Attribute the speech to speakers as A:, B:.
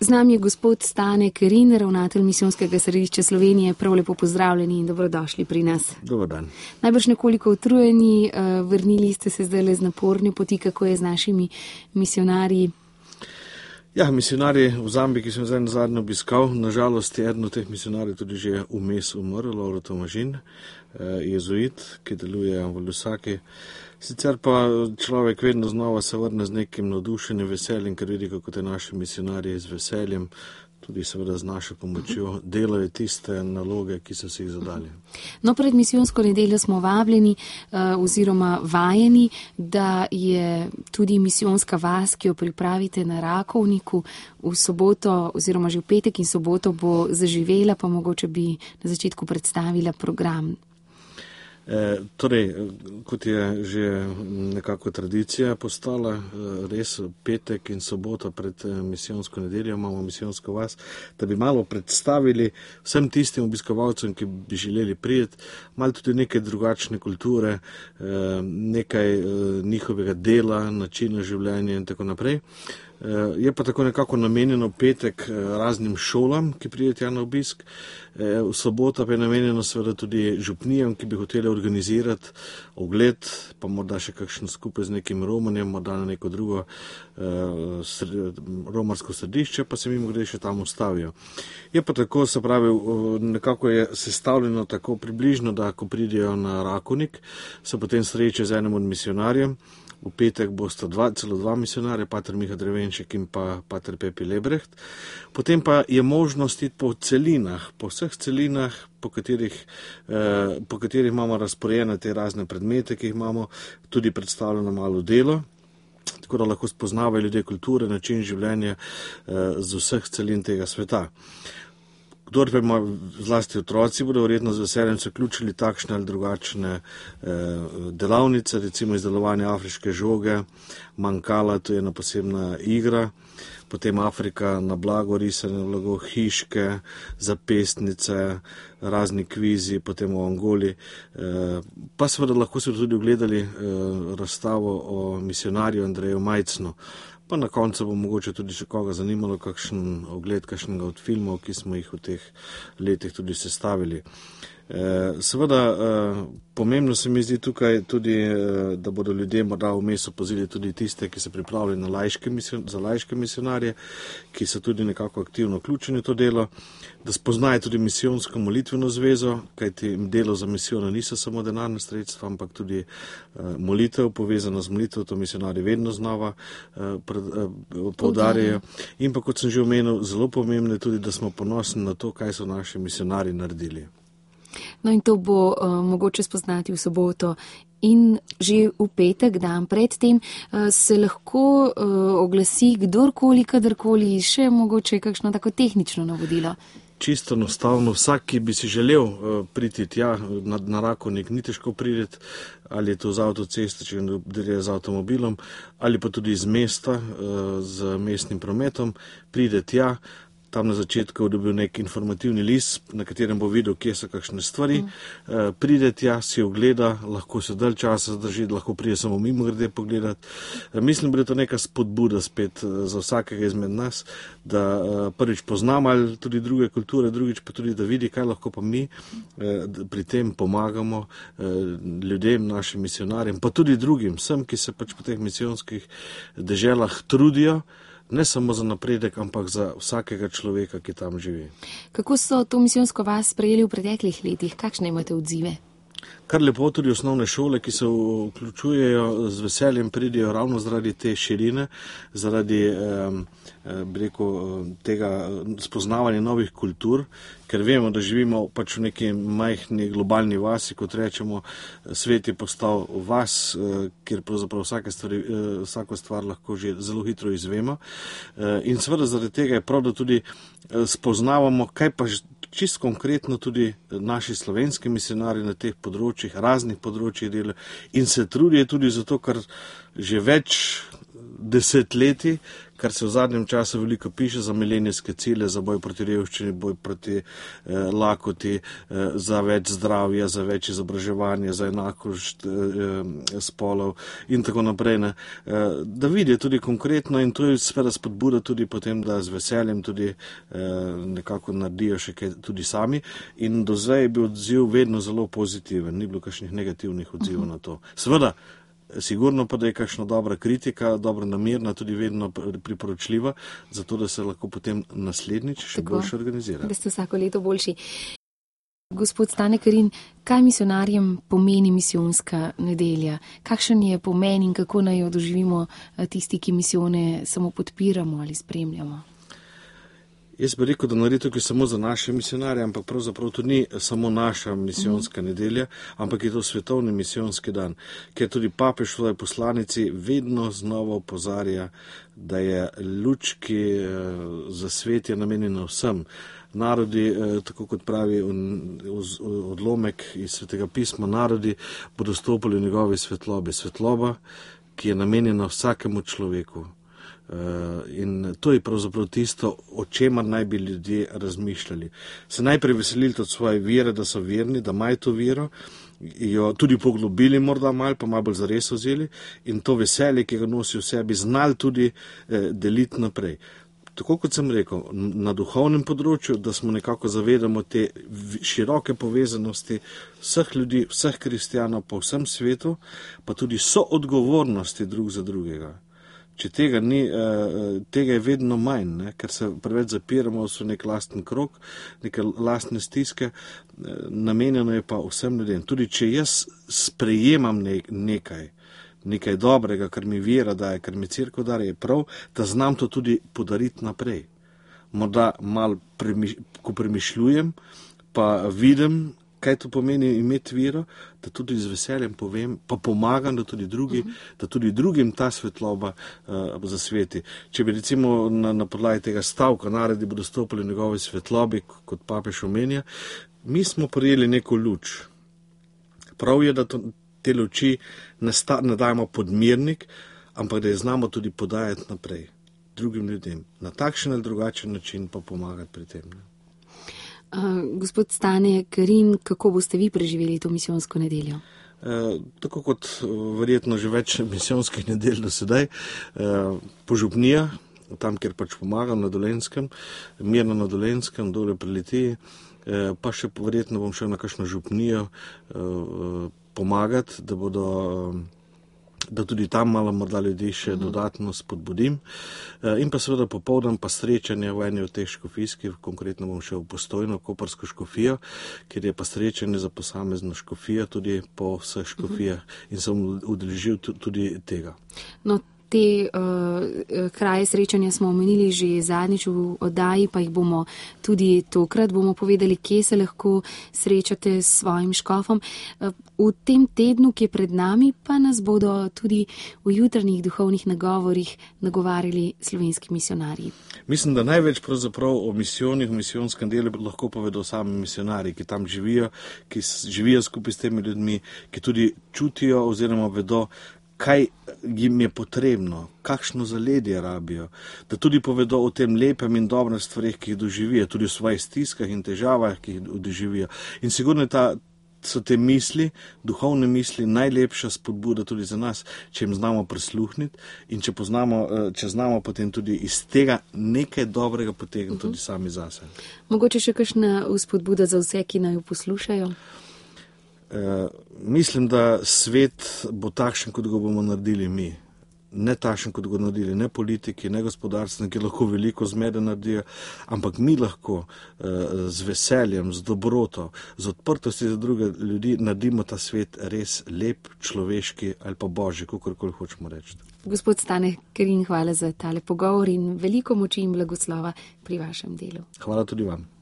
A: Z nami je gospod Stane Kerin, ravnatelj Misijonskega središča Slovenije. Prav lepo pozdravljeni in dobrodošli pri nas.
B: Dobar dan.
A: Najbrž nekoliko utrujeni, vrnili ste se zdaj z naporne poti, kako je z našimi misionarji?
B: Ja, misionarji v Zambiji, ki sem zdaj nazadnje obiskal, nažalost je eden od teh misionarjev tudi že vmes umrl, Lovro Tomažin, jezuit, ki deluje v Lusaki. Sicer pa človek vedno znova se vrne z nekim navdušenjem, veseljem, ker vidi, kako te naši misionarji z veseljem, tudi seveda z našo pomočjo, delajo tiste naloge, ki so si jih zadali.
A: No, pred misijonsko nedeljo smo vabljeni oziroma vajeni, da je tudi misijonska vas, ki jo pripravite na Rakovniku, v soboto oziroma že v petek in soboto bo zaživela, pa mogoče bi na začetku predstavila program.
B: Torej, kot je že nekako tradicija postala, res petek in sobota pred misijonsko nedeljo imamo misijonsko vas, da bi malo predstavili vsem tistim obiskovalcem, ki bi želeli prijeti, malo tudi neke drugačne kulture, nekaj njihovega dela, načina življenja in tako naprej. Je pa tako nekako namenjeno petek raznim šolam, ki pridejo na obisk. V sobota pa je namenjeno seveda tudi župnijam, ki bi hoteli organizirati ogled, pa morda še kakšen skupaj z nekim romanjem, morda na neko drugo romarsko središče, pa se mimo grede še tam ustavijo. Je pa tako, se pravi, nekako je sestavljeno tako približno, da ko pridejo na Rakovnik, se potem sreče z enim od misionarjem. V petek bosta celo dva misionarja, pater Miha Drevenšek in pa pater Pepi Lebrecht. Potem pa je možnost iti po celinah, po vseh celinah, po katerih imamo razporejene te razne predmete, ki jih imamo, tudi predstavljeno malo delo, tako da lahko spoznavajo ljudje kulture, način življenja z vseh celin tega sveta. Kdor pa ima, zlasti otroci, bodo verjetno z veseljem se vključili takšne ali drugačne delavnice, recimo izdelovanje afriške žoge, mankala, to je ena posebna igra, potem Afrika na blago, risane blago, hiške, zapestnice, razni kvizi, potem v Angoli. Pa seveda lahko se tudi ogledali razstavo o misionarju Andreju Majcnu. Pa na koncu bo mogoče tudi še koga zanimalo kakšen ogled, kakšnega od filmov, ki smo jih v teh letih tudi sestavili. Seveda, pomembno se mi zdi tukaj tudi, da bodo ljudje morda vmes opazili tudi tiste, ki se pripravljajo za laiške misionarje, ki so tudi nekako aktivno vključeni v to delo, da spoznajo tudi misijonsko molitveno zvezo, kajti delo za misijo niso samo denarne sredstva, ampak tudi molitev, povezana z molitev, to misionarji vedno znova poudarjajo. In pa, kot sem že omenil, zelo pomembno je tudi, da smo ponosni na to, kaj so naši misionarji naredili.
A: No in to bo mogoče spoznati v soboto in že v petek, dan predtem, se lahko oglasi kdorkoli, kadarkoli, še mogoče kakšno tako tehnično navodilo.
B: Čisto enostavno, vsak, ki bi si želel priti tja na Rakovnik, ni težko priti, ali je to z avtoceste, če gre z avtomobilom, ali pa tudi iz mesta, z mestnim prometom, pride tja. Tam na začetku dobil nek informativni list, na katerem bo videl, kje so kakšne stvari. Pride tja, si ogleda, lahko se dalj časa zadrži, lahko pride samo mimo grede pogledati. Mislim, da je to neka spodbuda spet za vsakega izmed nas, da prvič poznamo tudi druge kulture, drugič pa tudi, da vidi, kaj lahko pa mi pri tem pomagamo ljudem, našim misionarjem, pa tudi drugim, vsem, ki se pač po teh misijonskih deželah trudijo, ne samo za napredek, ampak za vsakega človeka, ki tam živi.
A: Kako so to misijonsko vas sprejeli v preteklih letih? Kakšne imate odzive?
B: Kar lepo, tudi osnovne šole, ki se vključujejo, z veseljem pridejo ravno zaradi te širine, zaradi tega spoznavanja novih kultur, ker vemo, da živimo pač v neki majhni globalni vasi, kot rečemo, svet je postal vas, kjer pravzaprav vsako stvar lahko že zelo hitro izvemo. In seveda zaradi tega je prav, da tudi spoznavamo, kaj pa čisto konkretno tudi naši slovenski misionarji na teh področjih, raznih področjih delajo in se trudijo tudi zato, ker že več desetletij, kar se v zadnjem času veliko piše za milenijske cilje, za boj proti revščini, boj proti lakoti, za več zdravja, za več izobraževanja, za enakost spolov in tako naprej. Ne. Da vidijo tudi konkretno in to je seveda spodbuda tudi potem, da z veseljem tudi nekako naredijo še kaj tudi sami in do zdaj je bil odziv vedno zelo pozitiven, ni bilo kakšnih negativnih odzivov na to. Seveda, sigurno pa, da je kakšna dobra kritika, dobro namerna, tudi vedno priporočljiva, zato da se lahko potem naslednjič še boljše organizira.
A: Da ste vsako leto boljši. Gospod Stane Kerin, kaj misionarjem pomeni misijonska nedelja? Kakšen je pomen in kako naj jo doživimo tisti, ki misijone samo podpiramo ali spremljamo?
B: Jaz bi rekel, da naredi tukaj samo za naše misionarje, ampak pravzaprav to ni samo naša misijonska nedelja, ampak je to svetovni misijonski dan, ker tudi papež v svoji poslanici vedno znova opozarja, da je luč, ki za svet je namenjena vsem. Narodi, tako kot pravi odlomek iz Svetega pisma, narodi bodo stopili v njegovi svetlobi. Svetloba, ki je namenjena vsakemu človeku. In to je pravzaprav tisto, o čemer naj bi ljudje razmišljali. Se najprej veselili od svoje vere, da so verni, da imajo to vero, jo tudi poglobili morda malo, pa malo bolj zares vzeli in to veselje, ki ga nosi v sebi, znali tudi deliti naprej. Tako kot sem rekel, na duhovnem področju, da smo nekako zavedamo te široke povezanosti vseh ljudi, vseh kristijanov po vsem svetu, pa tudi soodgovornosti drug za drugega. Če tega ni, tega je vedno manj, ne? Ker se preveč zapiramo v nek lasten krog, neke lastne stiske, namenjeno je pa vsem ljudem. Tudi če jaz sprejemam nekaj dobrega, kar mi vera daje, kar mi cerkev daje, je prav, da znam to tudi podariti naprej. Morda malo, ko premišljujem, pa vidim, kaj to pomeni imeti vero, da tudi z veseljem povem, pa pomagam, da tudi drugim ta svetloba zasveti. Če bi recimo na podlagi tega stavka narodi bodo stopili v njegovi svetlobi, kot papež omenja, mi smo prijeli neko luč. Prav je, da te luči ne dajemo podmirnik, ampak da je znamo tudi podajati naprej drugim ljudem. Na takšen ali drugačen način pa pomagati pri tem. Ne?
A: Gospod Stane Kerin, kako boste vi preživeli to misijonsko nedeljo?
B: Tako kot verjetno že več misijonskih nedelj do sedaj, požupnija, tam, kjer pač pomagam na Dolenjskem, mirno na Dolenjskem, dole pri Litiji, pa še verjetno bom šel na kakšno župnijo pomagati, da tudi tam malo morda ljudi še dodatno spodbudim. In pa seveda popoldan pa srečanje v eni od teh škofijskih, konkretno bom šel v Postojno, Koprsko škofijo, kjer je pa srečanje za posamezno škofijo tudi po vseh škofijah in sem udeležil tudi tega.
A: No, te kraje srečanja smo omenili že zadnjič v oddaji, pa jih bomo tudi tokrat povedali, kje se lahko srečate s svojim škofom. V tem tednu, ki je pred nami, pa nas bodo tudi v jutranjih duhovnih nagovorih nagovarjali slovenski misionarji.
B: Mislim, da največ pravzaprav o misijonih, v misijonskem delu lahko povedo sami misionarji, ki tam živijo, ki živijo skupaj s temi ljudmi, ki tudi čutijo oziroma vedo, kaj jim je potrebno, kakšno zaledje rabijo, da tudi povedo o tem lepem in dobrem stvarih, ki jih doživijo, tudi o svojih stiskah in težavah, ki jih doživijo. In sigurno so te misli, duhovne misli, najlepša spodbuda tudi za nas, če jim znamo prisluhniti in če znamo potem tudi iz tega nekaj dobrega potegniti tudi sami zase.
A: Mogoče še kakšna spodbuda za vse, ki naj jo poslušajo?
B: Mislim, da svet bo takšen, kot ga bomo naredili mi. Ne takšen, kot ga naredili ne politiki, ne gospodarstveniki, lahko veliko zmede naredijo, ampak mi lahko z veseljem, z dobroto, z odprtosti za druge ljudi naredimo ta svet res lep, človeški ali pa božji, kakorkoli hočemo reči.
A: Gospod Stane Kerin, hvala za tale pogovor in veliko moči in blagoslova pri vašem delu.
B: Hvala tudi vam.